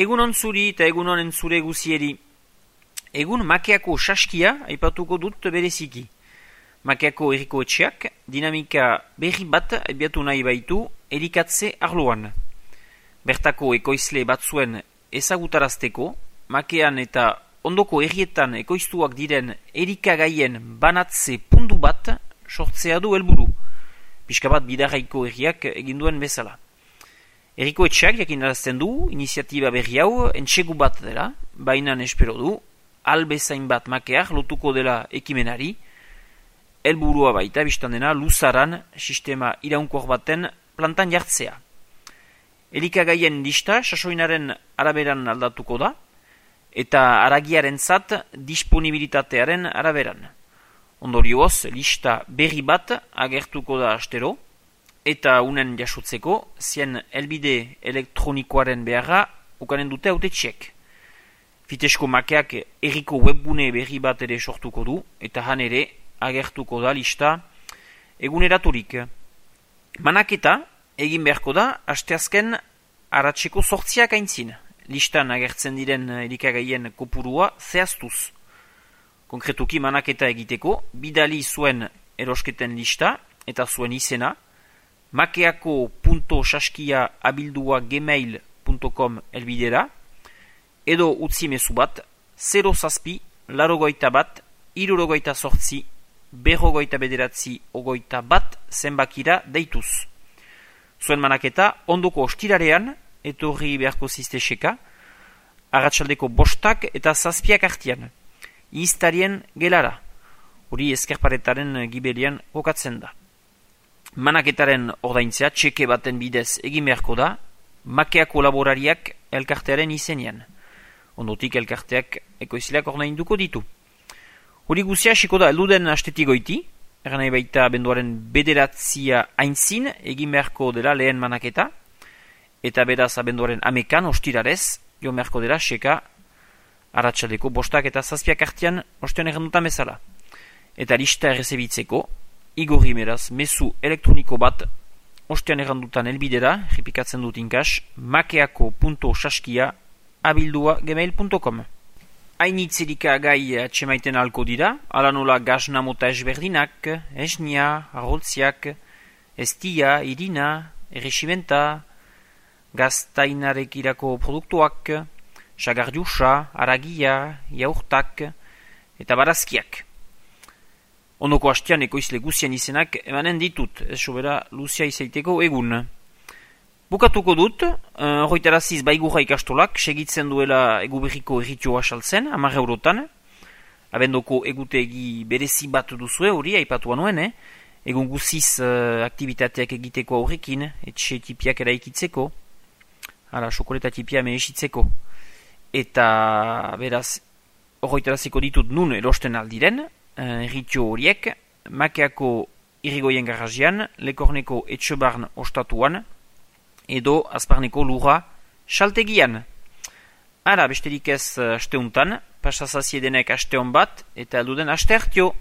Egunon zuri eta egunon entzure guzieri. Egun Makeako saskia aipatuko dut bereziki. Makeako herriko etxeak dinamika berri bat abiatu nahi baitu erikatze arloan. Bertako ekoizle batzuen ezagutarazteko, Makean eta ondoko herrietan ekoiztuak diren erikagaien banatze puntu bat sortzea du helburu. Pixka bat bidarraiko herriak eginduen bezala. Herriko etxeak jakinarazten du iniziatiba berri hau entsegu bat dela, baina espero du, albezain bat Makeak lotuko dela ekimenari, helburua baita biztan dena luzaran sistema iraunkor baten plantan jartzea. Elikagaien lista sasoinaren araberan aldatuko da, eta haragiarentzat disponibilitatearen araberan. Ondorioz, lista berri bat agertuko da astero, eta unen jasotzeko zien helbide elektronikoaren beharra ukanen dute hautetxeek. Fitesko Makeak herriko webbune berri bat ere sortuko du, eta han ere agertuko da lista eguneraturik. Manaketa egin beharko da asteazken aratseko 8 aintzin. Listan agertzen diren elikagaien kopurua zehaztuz. Konkretuki manaketa egiteko, bidali zuen erosketen lista eta zuen izena, makeako.saskia@gmail.com elbidera, edo utzi mezu bat 0-8-68-48-59 zenbakira deituz. Zuen manaketa ondoko ostirarean etorri beharko zizteseka, arratsaldeko 5 eta 7 artian, iztarien gelara, hori Ezkerparetaren gibelian kokatzen da. Manaketaren ordaintzea txeke baten bidez egin beharko da, Makeako laborariak elkartearen izenean. Ondotik elkarteak ekoizleak ordainduko ditu. Hori guzia hasiko da elduden astetik goiti, nahi baita benduaren 9 aintzin egin beharko dela lehen manaketa, eta beraz abenduaren 11 ostirarez, jo beharko dela seka arratsaldeko 5 eta 7 artean ostean errandutan bezala. Eta lista errezebitzeko, igorri meraz mezu elektroniko bat ostean errandutan elbidera, repikatzen dut inkas, makeako.saskia@gmail.com. Hainitzerika gai atxemaiten alko dira, ala nola gazna mota ezberdinak, esnia, arroltziak, estia, irina, erresimenta, gaztainarekirako produktuak, sagardiusa, aragia, jaurtak eta barazkiak. Ondoko hastean ekoizle guzian izenak emanen ditut, ez sobera luzia izaiteko egun. Bukatuko dut, horretaraziz baigurra ikastolak, segitzen duela eguberriko erritioa saltzen, 10 eurotan. Abendoko egutegi berezi bat duzue hori, aipatu nuen, egun guziz aktivitateak egiteko aurrekin, etxe tipiak eraikitzeko, xokoleta tipia mehesitzeko. Eta beraz, horretaraziko ditut nun erosten aldiren, erritio horiek, Makeako irrigoien garazian, Lekorneko etxebarn ostatuan, edo azparneko lurra saltegian. Besterik ez asteuntan, pasazaziedenek asteon bat, eta elduden aste hartio.